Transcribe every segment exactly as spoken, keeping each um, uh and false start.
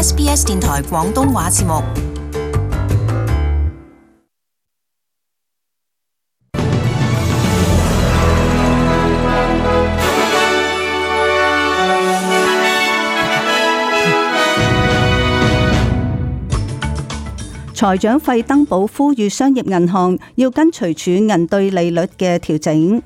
S B S 電台廣東話節目。財長費登堡呼籲商業銀行要跟隨儲銀對利率嘅調整。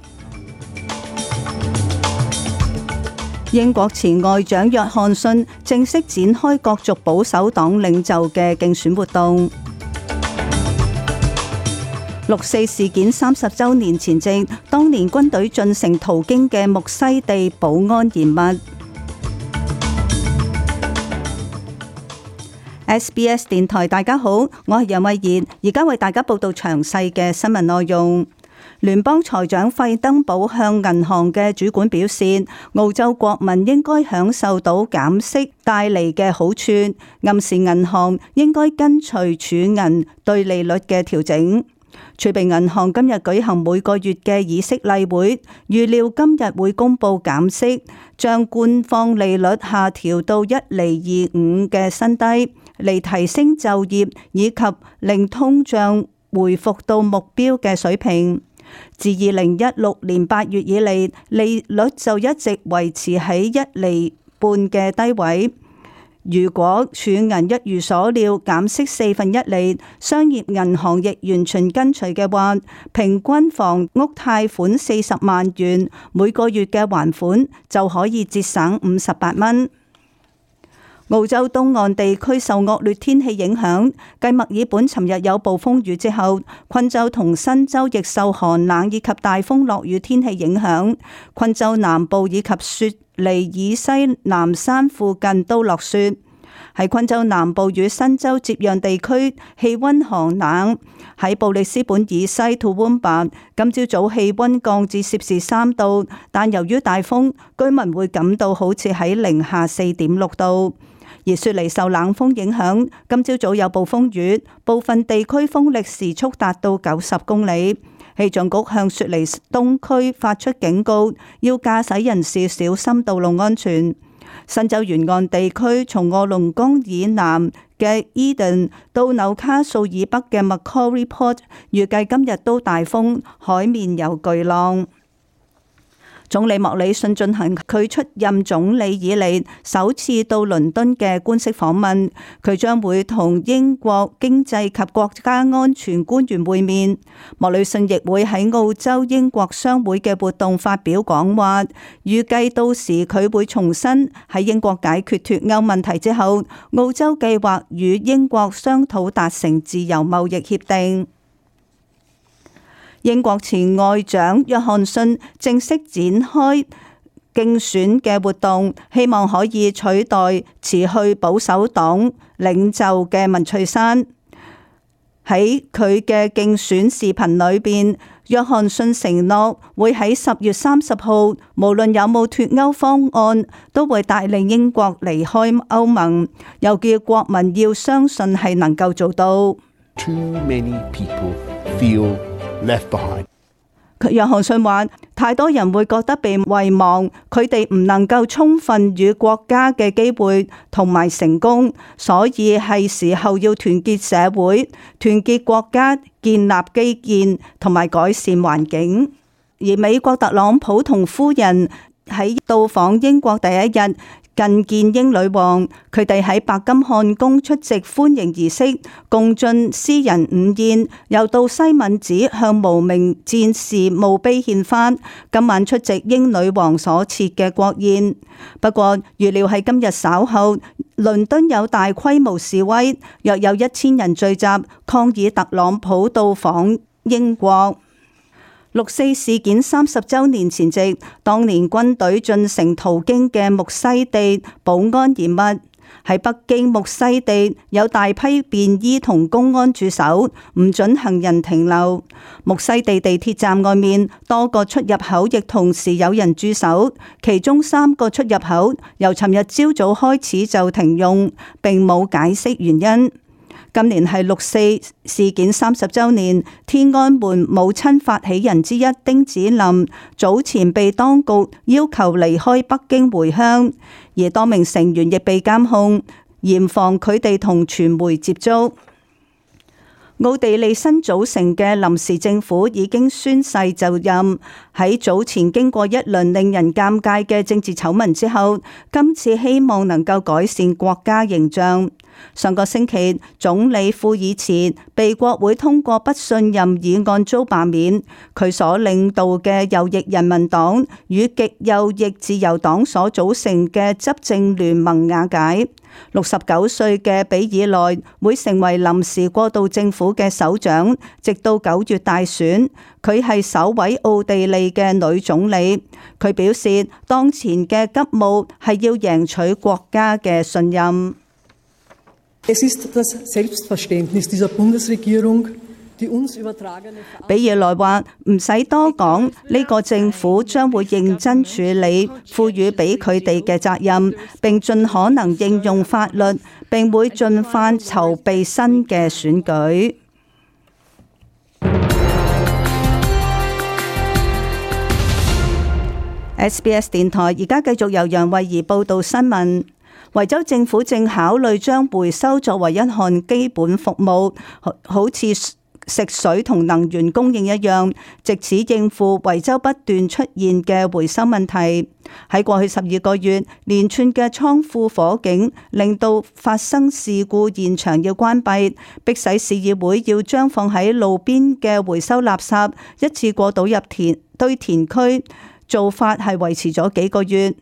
英國前外長約翰遜正式展開角逐保守黨領袖嘅競選活動。六四事件三十週年前夕，當年軍隊進城途經嘅木樨地保安嚴密。S B S 電台，大家好，我係楊慧妍，而家為大家報道詳細嘅新聞內容。聯邦財長費登堡向銀行嘅主管表示，澳洲國民應該享受到減息帶嚟嘅好處，暗示銀行應該跟隨儲銀對利率嘅調整。儲備銀行今日舉行每個月嘅議息例會，預料今日會公布減息，將官方利率下調到一厘二五嘅新低，嚟提升就業以及令通脹回復到目標嘅水平。自二零一六年八月以嚟，利率就一直維持喺一厘半嘅低位。如果儲銀一如所料減息四分一厘，商業銀行亦完全跟隨嘅話，平均房屋貸款四十萬元，每個月嘅還款就可以節省五十八蚊。澳洲東岸地區受惡劣天氣影響，繼墨爾本尋日有暴風雨之後，昆州同新州亦受寒冷以及大風落雨天氣影響。昆州南部以及雪梨以西南山附近都落雪。喺昆州南部與新州接壤地區，氣溫寒冷。喺布里斯本以西吐溫巴，今朝早氣溫降至攝氏三度，但由於大風，居民會感到好似喺零下四點六度。而雪梨受冷風影響，今朝早有暴風雨，部分地區風力時速達到九十公里。氣象局向雪梨東區發出警告，要駕駛人士小心道路安全。新州沿岸地區從臥龍崗以南嘅 Eden 到紐卡素以北嘅 Macquarie Port， 預計今日都大風，海面有巨浪。總理莫里遜進行佢出任總理以嚟首次到倫敦嘅官式訪問，佢將會同英國經濟及國家安全官員會面。莫里遜亦會喺澳洲英國商會嘅活動發表講話，預計到時佢會重申喺英國解決脫歐問題之後，澳洲計劃與英國商討達成自由貿易協定。英國前外長約翰遜正式展開競選嘅活動，希望可以取代辭去保守黨領袖嘅文翠珊。喺佢嘅競選視頻裏邊，約翰遜承諾會喺十月三十號，無論有冇脫歐方案，都會帶領英國離開歐盟，又叫國民要相信係能夠做到。Too many people feel left behind. 約翰遜話：太多人會覺得被遺忘，佢哋唔能夠充分與國家嘅機會同埋成功，所以係時候要團結社會、團結國家，建立基建同埋改善環境。而美國特朗普同夫人喺到訪英國第一日，覲見英女王，佢哋喺白金漢宮出席歡迎儀式，共進私人午宴，又到西敏寺向無名戰士墓碑獻花。今晚出席英女王所設嘅國宴。不過預料喺今日稍後，倫敦有大規模示威，約有一千人聚集抗議特朗普到訪英國。六四事件三十週年前夕，當年軍隊進城途經嘅木樨地保安嚴密。喺北京木樨地有大批便衣同公安駐守，唔准行人停留。木樨地地鐵站外面多個出入口亦同時有人駐守，其中三個出入口由尋日朝早開始就停用，並冇解釋原因。今年係六四事件三十週年，天安門母親發起人之一丁子霖早前被當局要求離開北京回鄉，而多名成員亦被監控。嚴防佢哋同傳媒接觸。奧地利新組成嘅臨時政府已經宣誓就任，喺早前經過一輪令人尷尬嘅政治醜聞之後，今次希望能夠改善國家形象。上個星期，總理庫爾茨被國會通過不信任議案遭罷免，佢所領導嘅右翼人民黨與極右翼自由黨所組成嘅執政聯盟瓦解。六十九歲嘅比爾內會成為臨時過渡政府嘅首長，直到九月大選。佢係首位奧地利嘅女總理。佢表示，當前嘅急務係要贏取國家嘅信任。Es ist das Selbstverständnis dieser Bundesregierung, die uns übertragene。比爾內話唔使多講，呢個政府將會認真處理賦予俾佢哋嘅責任，並盡可能應用法律，並會盡快籌備新嘅選舉。S B S 電台而家繼續由楊慧儀報道新聞。維州政府正考慮將回收作為一項基本服務，好似食水同能源供應一樣，藉此應付維州不斷出現嘅回收問題。喺過去十二個月，連串嘅倉庫火警令到發生事故現場要關閉，迫使市議會要將放喺路邊嘅回收垃圾一次過倒入填堆填區，做法係維持咗幾個月。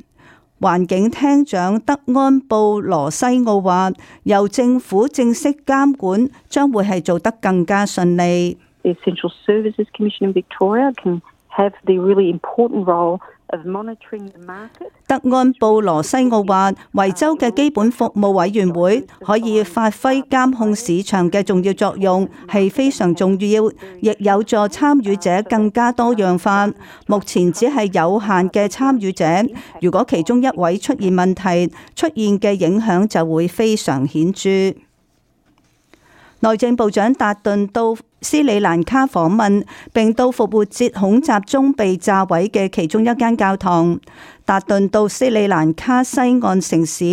環境廳長德安布羅西奧話，由政府正式監管將會係做得更加順利。The Essential Services Commission in Victoria can have the really important role of monitoring the market。德安布羅西奧話，維州嘅基本服務委員會可以發揮監控市場嘅重要作用，係非常重要，亦有助參與者更加多樣化。目前只係有限嘅參與者，如果其中一位出現問題，出現嘅影響就會非常顯著。內政部長達頓到斯里蘭卡訪問，並到復活節恐襲中被炸毀嘅其中一間教堂。達頓到斯里蘭卡西岸城市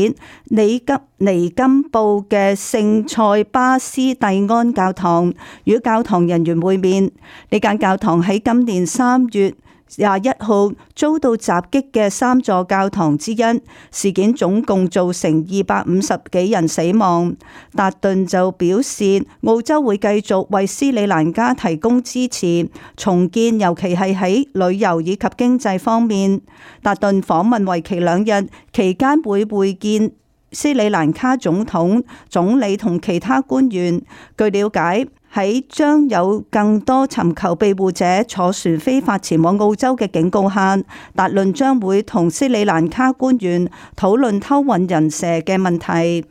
尼吉尼金布嘅聖塞巴斯蒂安教堂，與教堂人員會面。呢間教堂喺今年三月廿一號遭到襲擊嘅三座教堂之一，事件總共造成二百五十幾人死亡。達頓就表示，澳洲會繼續為斯里蘭卡提供支持重建，尤其係喺旅遊以及經濟方面。達頓訪問為期兩日，期間會會見斯里蘭卡總統、總理同其他官員。據了解，喺將有更多尋求庇護者坐船非法前往澳洲嘅警告下，達頓將會同斯里蘭卡官員討論偷運人蛇嘅問題。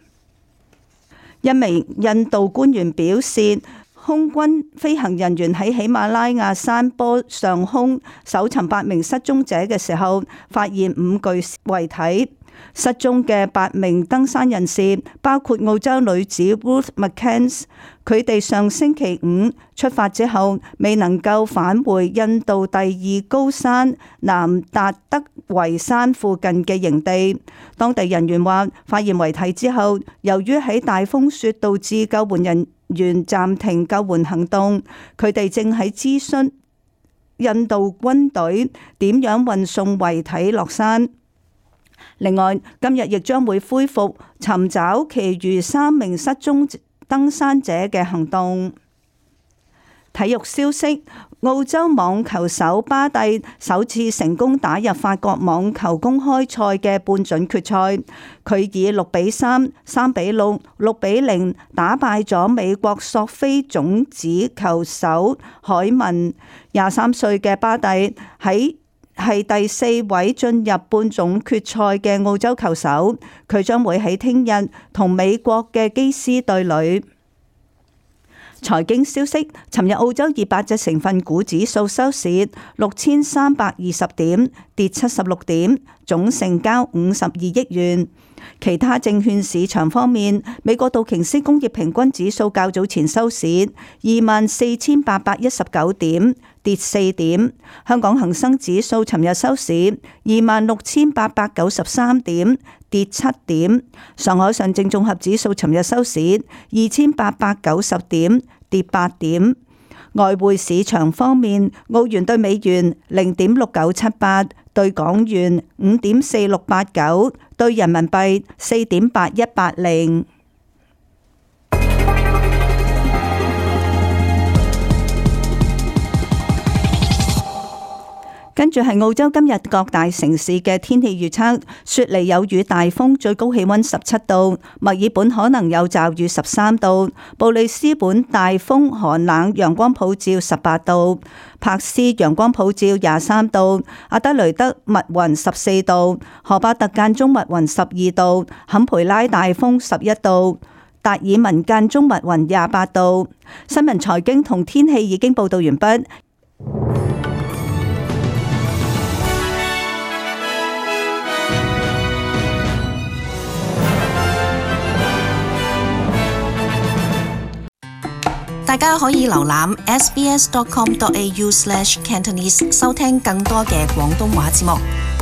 一名印度官員表示，空軍飛行人員喺喜馬拉雅山坡上空搜尋八名失蹤者嘅時候，發現五具遺體。失蹤嘅八名登山人士包括澳洲女子 Ruth McCann， 佢哋上星期五出發之後未能夠返回印度第二高山南達德維山附近嘅營地。當地人員話，發現遺體之後，由於喺大風雪導致救援人員暫停救援行動，佢哋正喺諮詢印度軍隊點樣運送遺體落山。另外，今日亦將會恢復尋找其餘三名失蹤登山者嘅行動。體育消息，澳洲網球手巴蒂首次成功打入法國網球公開賽嘅半準決賽，佢以六比三、三比六、六比零打敗咗美國索菲種子球手海文。廿三歲嘅巴蒂喺係第四位進入半總決賽嘅澳洲球手，佢將會喺聽日同美國嘅基斯對壘。財經消息，尋日澳洲二百隻成分股指數收市六千三百二十點，跌七十六點，總成交五十二億元。其他證券市場方面，美國道瓊斯工業平均指數較早前收市二萬四千八百一十九點，跌四點。香港恒生指數尋日收市二萬六千八百九十三點，跌七點。上海上證綜合指數尋日收市二千八百九十點，跌八點。外匯市場方面，澳元對美元零點六九七八，對港元五點四六八九，對人民幣四點八一八零。跟住係澳洲今日各大城市嘅天氣預測：雪梨有雨大風，最高氣溫十七度；墨爾本可能有驟雨十三度；布里斯本大風寒冷，陽光普照十八度；柏斯陽光普照廿三度；阿德雷德密雲十四度；荷巴特間中密雲十二度；坎培拉大風十一度；達爾文間中密雲廿八度。新聞財經同天氣已經報道完畢。大家可以瀏覽 s b s dot com dot a u slash cantonese 收聽更多嘅廣東話節目。